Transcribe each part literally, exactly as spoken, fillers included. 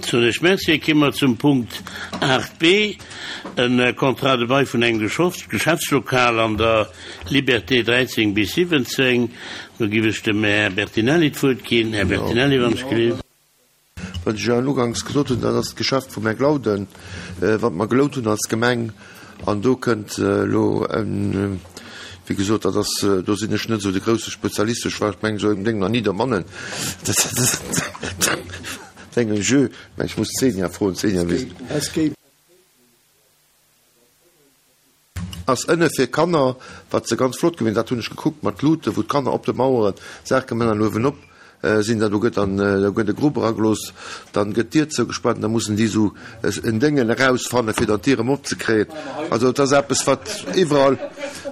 Soen ech Merci. Komme mer zum Punkt aacht b, e Contrat de bail vun engem Geschäftslokal an der Liberté dräizéng bis siwwenzéng. Do giff ech dem Här Bertinelli d'Wuert ginn. Här Bertinelli, wann ech gelift. Wat ech jo uganks gesot hunn, dat ass d'Geschäft vum Här Glauden, wat mer gelount hunn als Gemeng. An do kënnt elo en, wéi gesot, dat ass, do sinn ech net esou de grousse Spezialist, ech war, ech mengen, esou engem Déng nach ni dermannen, dat engem Jeu, mä ech muss d'Xenia froen, d'Xenia weess et. Ass ënne fir Kanner, wat se ganz flott gewinnt, dat hunn ech gekuckt mat Luuten, wou d'Kanner op de Maueren Saache man an uewenop sinn. Da do gëtt dann, do gëtt e Grupp eragelooss, dann gëtt d'Dier zougespaart an da mussen déi esou en Déngen erausfanne fir dann d'Dier erëm opzekréien. Also et ass eppes wat iwwerall,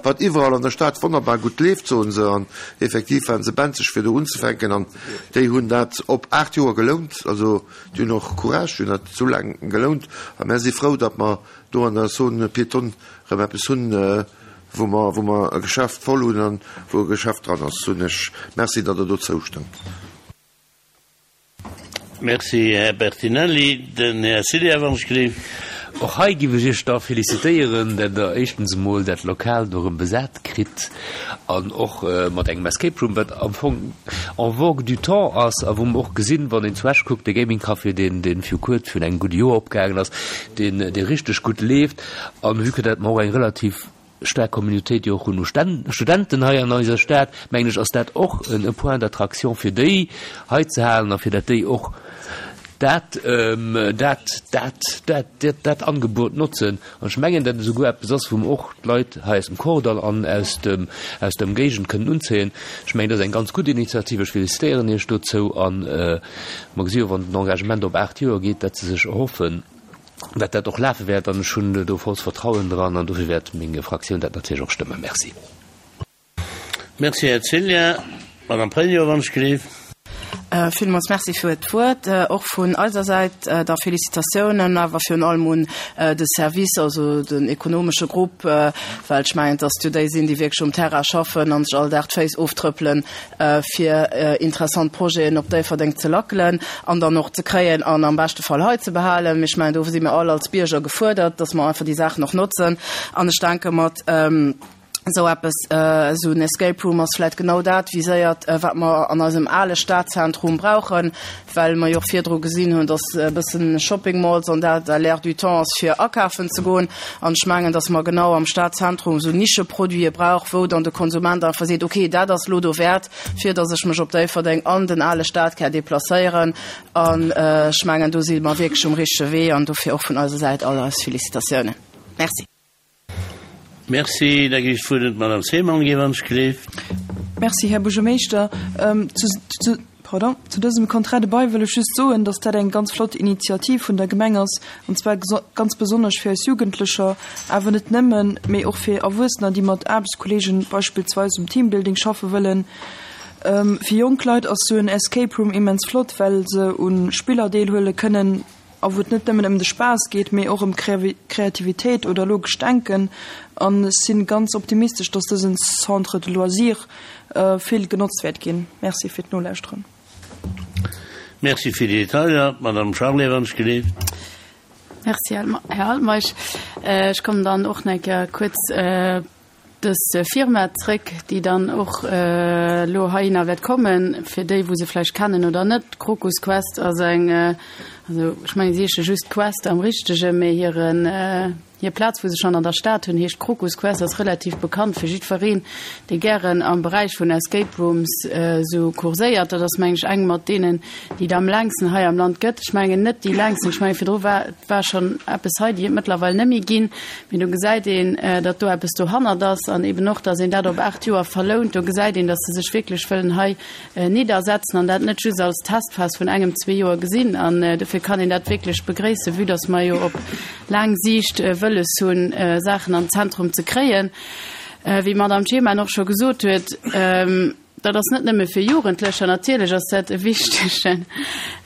wat iwwerall an der Stad wonnerbar gutt leeft, soen se. An effektiv waren se benzeg fir do unzefänken an déi hunn dat op aacht Joer gelount. Also déi hunn och Courage, déi hunn dat esou laang gelount a mär si frou, datt mer do an der Zone piétonne erëm eppes hunn, wou mer, wou mer e Geschäft voll hunn an wou e Geschäft dran ass, soen ech Merci, datt Der do zoustëmmt. Merci, Här Bertinelli. Den Här Ciliar, wann ech gleef. Och hei giff ech Iech da félicitéieren, dat Der éischtens emol dat Lokal do erëm besat kritt an och mat engem Escape Room, wat am Fong en vogue du temps ass a wou mer och gesinn, wann een zu Esch kuckt, de Gaming Café, deen, deen viru kuerz, virun engem gudde Joer opgaangen ass, deen, dee richteg gutt leeft. An vue que dat mer och eng relativ staark Communautéit jo och hunn u Studenten hei an eiser Stad, mengen ech, ass dat och e Point d'attraction fir déi hei ze halen a fir dat déi och dat, dat, dat, dat, dat Angebot notzen. An ech mengen, dat esouguer eppes ass, wou mer och d'Leit hei aus dem Kordall an aus dem, aus der Ëmgéigend kënnen unzéien. Ech mengen, dat ass eng ganz gutt Initiativ. Ech félicitéieren Iech dozou a mer gesi jo, wann den Engagement op aacht Joer geet, dat se sech erhoffen, dat dat och lafe wäert. An ech hunn do vollst Vertrauen dran an dofir wäert meng Fraktioun dat natierlech och stëmmen. Merci. Merci, Här Ceglia. Madame Pregno, wann ech gleef. Villmools Merci fir d'Wuert. Och vun eiser Säit da Félicitatiounen, awer virun allem un de Service, also den ekonomesche Grupp, well ech mengen, dass jo déi sinn, déi wierklech um Terrain schaffen an sech all Dag d'Féiss oftrëppelen, fir interessant Projeten op Déifferdeng ze lackelen an dann och ze kréien an am beschte Fall hei ze behalen. Mee ech mengen, do si mir all als Bierger gefuerdert, dass mer einfach déi Saachen och notzen. An ech denke mat esou eppes, esou en Escape Room ass vläicht genau dat viséiert, wat mer an eisem ale Stadzentrum brauchen, well mer jo och virdru gesinn hunn, dass e bëssen Shopping Malls an dat à l'air du temps ass fir akafen ze goen. An ech mengen, dass mer genau am Stadzentrum esou Nischeproduite brauch, wou dann de Konsument einfach seet, okay, dat ass elo dowäert, fir dass ech mech op Déifferdeng an den ale Stadkär deplacéieren. An ech mengen, do si mer wierklech um richtege Wee an dofir och vun eiser Säit all eis Félicitatiounen. Merci. Merci. Da ginn ech d'Wuert un d'Madame Seemann, géif an ech gleef. Merci, Här Buergermeeschter. Zu, zu, pardon, zu dësem Contrat de bail wëll ech just soen, dass dat eng ganz flott Initiativ vun der Gemeng ass, an zwar ganz besonnesch fir eis Jugendlecher, awer net nëmmen, mee och fir Erwuessener, déi mat Aarbechtskolleegen beispillsweis um Teambuilding schaffe wëllen. Fir jonk Leit ass sou en Escape Room immens flott, well se u Spiller deelhuele kënnen, a wou et net nëmmen ëm de Spaass geet, mee och ëm Kreativitéit oder logescht Denken. An ech si ganz optimistesch, dass dësen Centre de loisirs vill genotzt wäert ginn. Merci fir d'Nolauschteren. Merci fir déi Detailer. D'Madame Charlé, wann ech geleeft. Merci, Här Altmeisch. Ech kommen dann och nach eng Kéier kuerz dës Firma zréck, déi dann och elo heihinner wäert kommen, fir déi, wou se vläicht kennen oder net. Krokus Quest ass eng, also ech mengen, si heesche just Quest am Richtegen, mä hiren, hir Plaz, wou se schonn an der Stad hunn, heescht Krokus Quest, ass relativ bekannt fir jiddwereen, dee gären am Beräich vun Escape Rooms esou kurséiert. Dat ass, meng ech, eng mat deenen, déi et am längsten hei am Land gëtt. Ech mengen net déi längsten, ech mengen virdru war, war schonn eppes hei, déi et mëttlerweil net méi ginn. Mee do gesäit een, datt do eppes dohannert ass an eben och, datt een dat op aacht Joer verlount. Do gesäit een, datt se sech wierklech wëllen hei niddersetzen an dat net just als Testphas vun engem, zwee Joer gesinn. An dofir kann een dat wierklech begréissen, vue datt mer jo op laang Siicht wëlles hunn, Saachen an d'Zentrum ze kréien. Wéi d'Madame Czeman och scho gesot huet, dat ass net nëmme fir Jugendlecher, natierlech ass dat e wichtegen,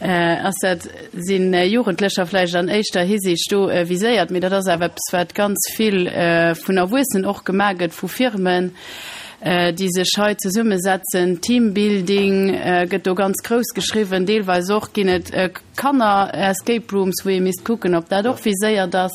ass dat, si Jugendlecher vläicht an éischter Hisiicht do viséiert, mee dat ass awer eppes, wat ganz vill vun Erwuessenen och gemaach gëtt, vu Firmen. déi sech hei zesummesetzen. Teambuilding gëtt do ganz grouss geschriwwen. Deelweis och ginn et Kanner-Escape Rooms, wou ee misst kucken, ob dat och viséiert ass.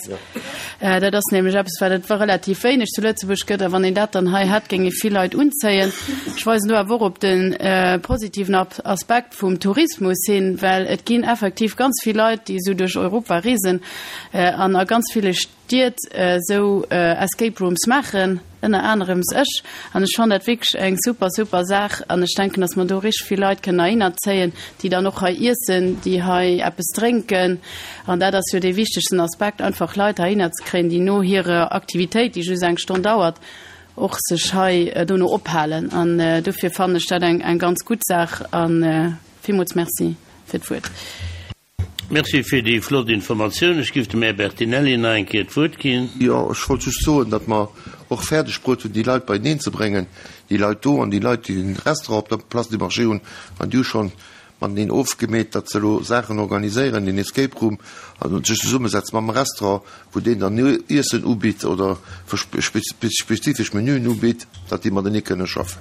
Dat ass nämlech eppes, wat et relativ wéineg zu Lëtzebuerg gëtt. A wann een dat dann hei hätt, géing ee vill Leit unzéien. Ech weisen do awer och op de positiven Aspekt vum Tourismus hin, well et ginn effektiv ganz vill Leit, déi esou duerch Europa reesen an a ganz ville Stied esou Escape Rooms maachen, ënner anerems ech. An ech fannen dat wierklech eng super, super Saach. An ech denken, dass mer do richteg vill Leit kënnen heihinner zéien, déi dann och hei iessen, déi hei eppes drénken. An dat ass jo dee wichtegsten Aspekt, einfach Leit heihinner ze kréien, déi no hirer Aktivitéit, déi just eng Stonn dauert, och sech hei dono ophalen. An dofir fannen ech dat eng ganz gutt Saach. A villmools Merci fir d'Wuert. Merci fir déi flott Informatioun. Ech giff dem Här Bertinelli nach eng Kéier d'Wuert ginn. Jo, ech wollt just soen, datt mer och fäerdeg bruet hunn, déi Leit beieneen ze bréngen, déi Leit do an déi Leit, déi den Restaurant op der Place du Marché hunn. An déi hu schonn mateneen ofgemeet, datt se elo Saachen organiséieren, den Escape Room, an sech zesummesetzen mam Restaurant, wou deen dann Iessen ubitt oder spezifesch Menüen ubitt, datt déi matenee kënne schaffen.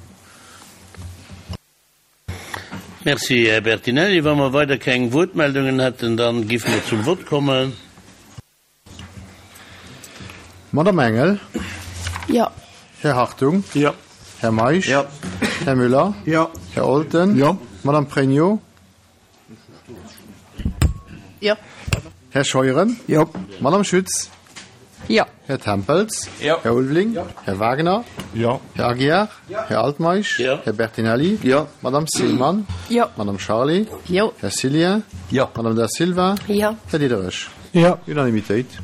Merci, Här Bertinelli. Wa mer weider keng Wuertmeldungen hätten, da géife mer zum Vott kommen. Madame Engel. Jo. Här Hartung. Jo. Här Meisch. Jo. Här Müller. Jo. Här Olten. Jo. Madame Pregno. Jo. Här Scheuren. Jo. Madame Schütz. Jo. Här Tempels. Jo. Här Ulveling. Jo. Här Wagner. Jo. Här Aguiar. Jo. Här Altmeisch. Jo. Här Bertinelli. Jo. Madame Seemann. Jo. Madame Charlé. Jo. Här Cillien. Jo. Madame Da Silva. Jo. Här Diderich. Jo. Unanimitéit.